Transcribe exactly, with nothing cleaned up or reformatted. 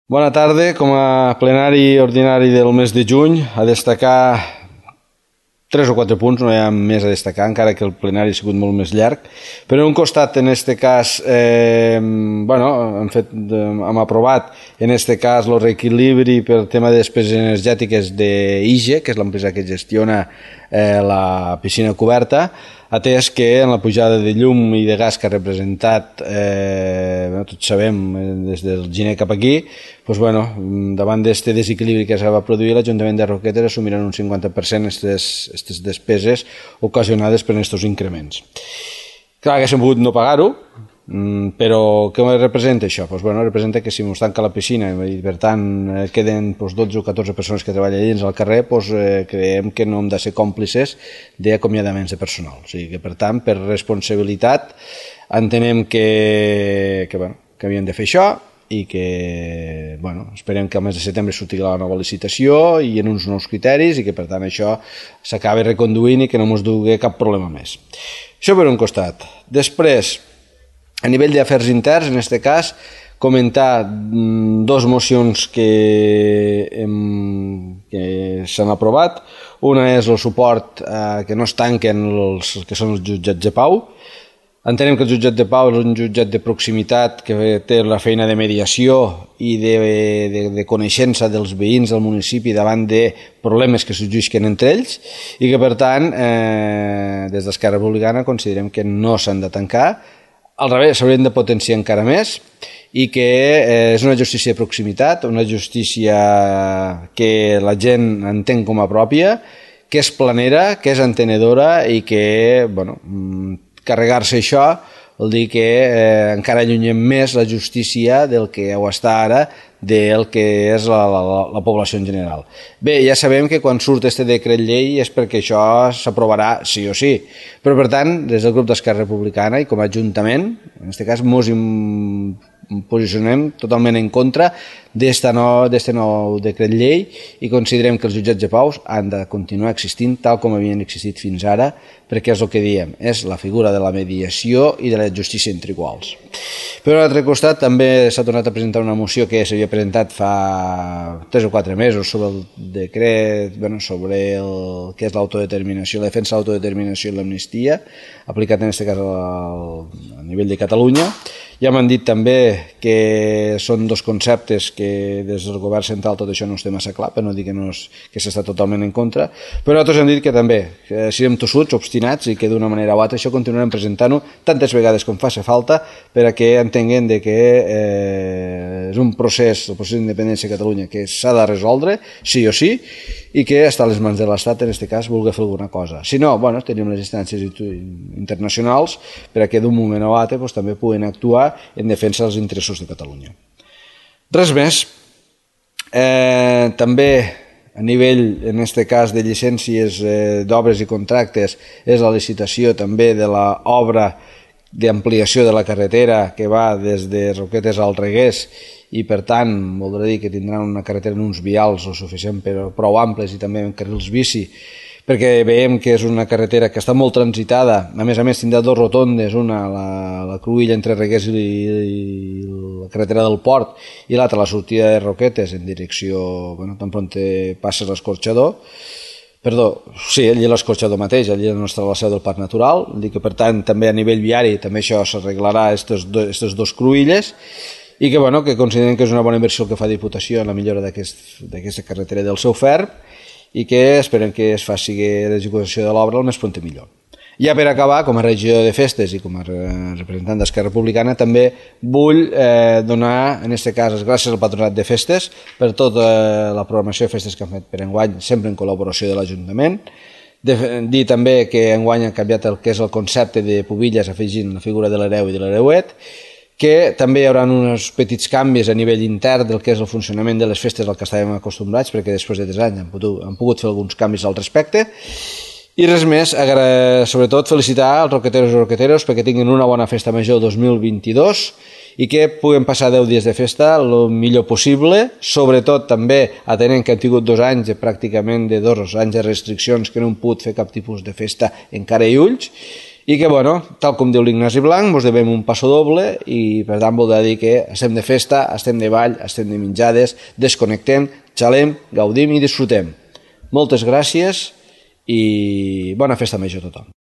Bona tarda. Com a plenari ordinari del mes de juny, a destacar tres o quatre punts, no hi ha més a destacar, encara que el plenari ha sigut molt més llarg. Però en un costat, en aquest cas, eh, bueno, hem, fet, hem aprovat, en aquest cas, el reequilibri per tema de despeses energètiques d'I G E, que és l'empresa que gestiona eh, la piscina coberta, atès que en la pujada de llum i de gas que ha representat, eh, tots sabem, des del gener cap aquí, doncs, bueno, davant d'aquest desequilibri que es va produir, l'Ajuntament de Roquetes assumirà un cinquanta per cent aquestes despeses ocasionades per aquests increments. Clar que s'han pogut no pagar-ho, però què representa això? Doncs, bueno, representa que si ens tanca la piscina i per tant queden doncs, dotze o catorze persones que treballen dins al carrer, doncs, eh, creiem que no hem de ser còmplices d'acomiadaments de personal. O sigui que, per tant, per responsabilitat entenem que, que, bueno, que havíem de fer això i que, bueno, esperem que al mes de setembre surti la nova licitació i en uns nous criteris i que, per tant, això s'acabi reconduint i que no ens dugui cap problema més. Això per un costat. Després, a nivell d'afers interns, en aquest cas, comentar dos mocions que, hem, que s'han aprovat. Una és el suport a que no es tanquen els que són els jutjats de pau. Entenem que el jutjat de pau és un jutjat de proximitat que té la feina de mediació i de, de, de coneixença dels veïns del municipi davant de problemes que sorgisquen entre ells i que, per tant, eh, des d'Esquerra Republicana considerem que no s'han de tancar. Al revés, s'haurien de potenciar encara més i que eh, és una justícia de proximitat, una justícia que la gent entén com a pròpia, que és planera, que és entenedora i que, bueno, carregar-se això vol dir que eh, encara allunyem més la justícia del que ho està ara del que és la, la, la població en general. Bé, ja sabem que quan surt este decret llei és perquè això s'aprovarà sí o sí, però per tant, des del grup d'Esquerra Republicana i com a Ajuntament, en aquest cas ens posicionem totalment en contra d'aquest nou, nou decret llei i considerem que els jutjats de pau han de continuar existint tal com havien existit fins ara, perquè és el que diem, és la figura de la mediació i de la justícia entre iguals. Per un altre costat, també s'ha tornat a presentar una moció que s'havia presentat fa tres o quatre mesos sobre el decret, bueno, sobre el que és l'autodeterminació, la defensa de l'autodeterminació i l'amnistia, aplicat en aquest cas al, a nivell de Catalunya. Ja m'han dit també que són dos conceptes que des del govern central tot això no es té massa clar, per no dir que, no és, que s'està totalment en contra, però nosaltres hem dit que també que siguem tossuts, obstinats i que d'una manera o altra això continuarem presentant-ho tantes vegades com faci falta perquè entenguem de que eh, és un procés, el procés d'independència de Catalunya que s'ha de resoldre, sí o sí, i que està a les mans de l'Estat, en aquest cas, vulgui fer alguna cosa. Si no, bueno, tenim les instàncies internacionals perquè d'un moment o altre doncs, també puguen actuar en defensa dels interessos de Catalunya. Res més. Eh, també a nivell, en aquest cas, de llicències eh, d'obres i contractes, és la licitació també de l'obra d'ampliació de la carretera que va des de Roquetes al Reguers i per tant voldrà dir que tindran una carretera en uns vials o suficient però prou amples i també en carrils bici perquè veiem que és una carretera que està molt transitada, a més a més tindrà dos rotondes, una la, la cruïlla entre Reguers i, i la carretera del Port i l'altra la sortida de Roquetes en direcció, bueno, tan pront passes l'Escorxador. Perdó, sí, allí l'Escorxador mateix, allí on està la seu del Parc Natural, dic que per tant també a nivell viari també això s'arreglarà aquestes dos, dos cruïlles i que, bueno, que consideren que és una bona inversió el que fa Diputació en la millora d'aquesta carretera del seu ferm i que esperem que es faci l'execució de l'obra el més pront millor. Ja per acabar, com a regidor de festes i com a representant d'Esquerra Republicana, també vull eh, donar, en aquest cas, les gràcies al Patronat de Festes per tota la programació de festes que han fet per enguany, sempre en col·laboració de l'Ajuntament. De, dir també que enguany han canviat el que és el concepte de pubilles afegint la figura de l'hereu i de l'hereuet, que també hi haurà uns petits canvis a nivell intern del que és el funcionament de les festes al que estàvem acostumbrats, perquè després de tres anys han pogut, han pogut fer alguns canvis al respecte. I res més, sobretot felicitar els roqueteros i roqueteros perquè tinguin una bona festa major dos mil vint-i-dos i que puguem passar deu dies de festa el millor possible, sobretot també atenent que han tingut dos anys, pràcticament de dos anys de restriccions que no han pogut fer cap tipus de festa en cara i ulls, i que, bueno, tal com diu l'Ignasi Blanc, ens devem un passo doble i, per tant, voldrà dir que estem de festa, estem de ball, estem de menjades, desconnectem, xalem, gaudim i disfrutem. Moltes gràcies i bona festa major a tothom.